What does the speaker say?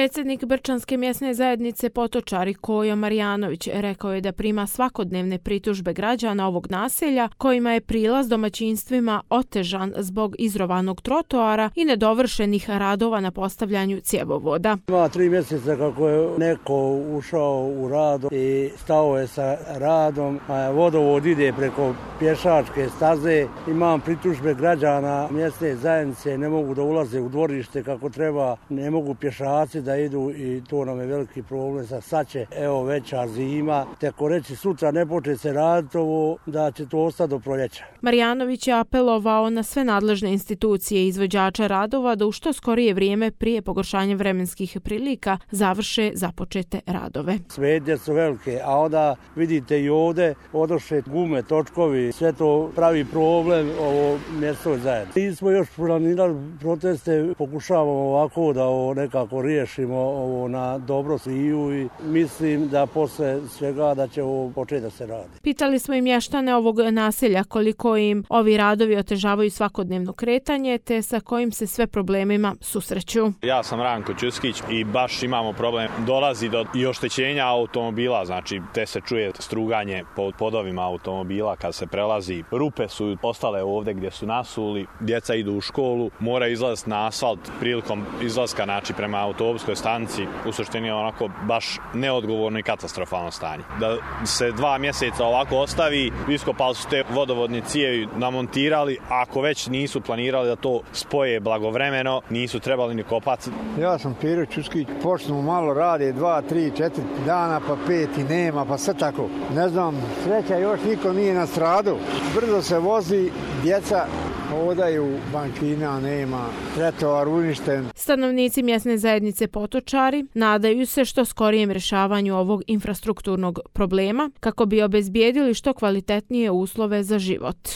Predsjednik Brčanske mjesne zajednice Potočari Kojo Marjanović rekao je da prima svakodnevne pritužbe građana ovog naselja kojima je prilaz domaćinstvima otežan zbog izrovanog trotoara i nedovršenih radova na postavljanju cjevovoda. Ima 3 mjeseca kako je neko ušao u rad i stao je sa radom, a vodovod ide preko pješačke staze. Imam pritužbe građana mjesne zajednice, ne mogu da ulaze u dvorište kako treba, ne mogu pješaci da idu i to nam je veliki problem. Sad će, evo, veća zima, teko reći sutra ne počne se raditi ovo, da će to ostati do proljeća. Marjanović je apelovao na sve nadležne institucije i izvođača radova da u što skorije vrijeme prije pogoršanja vremenskih prilika završe započete radove. Smetnje su velike, a onda vidite i ovdje odošle gume, točkovi, sve to pravi problem ovo mjesto zajedno. Mi smo još planirali proteste, pokušavamo ovako da ovo nekako riješimo ovo na dobro sviju i mislim da posle svega da će ovo početi da se radi. Pitali smo i mještane ovog naselja koliko im ovi radovi otežavaju svakodnevno kretanje te sa kojim se sve problemima susreću. Ja sam Ranko Čuskić i baš imamo problem. Dolazi do i oštećenja automobila, znači te se čuje struganje po podovima automobila kad se prelazi. Rupe su ostale ovdje gdje su nasuli, djeca idu u školu, mora izlaziti na asfalt prilikom izlaska, znači prema autobuskoj stanici. U suštini je onako baš neodgovorno i katastrofalno stanje. Da se 2 mjeseca ovako ostavi, iskopali su te vodovodne cijevi, namontirali, ako već nisu planirali da to spoje blagovremeno, nisu trebali ni kopati. Ja sam Pero Čuskić, počnu malo rade 2, 3, 4 dana, pa 5 i nema, pa sve tako. Ne znam, sreća još niko nije nastradao. Brzo se vozi, djeca hodaju, bankina nema, trotoar uništen. Stanovnici mjesne zajednice Potočari nadaju se što skorijem rješavanju ovog infrastrukturnog problema kako bi obezbijedili što kvalitetnije uslove za život.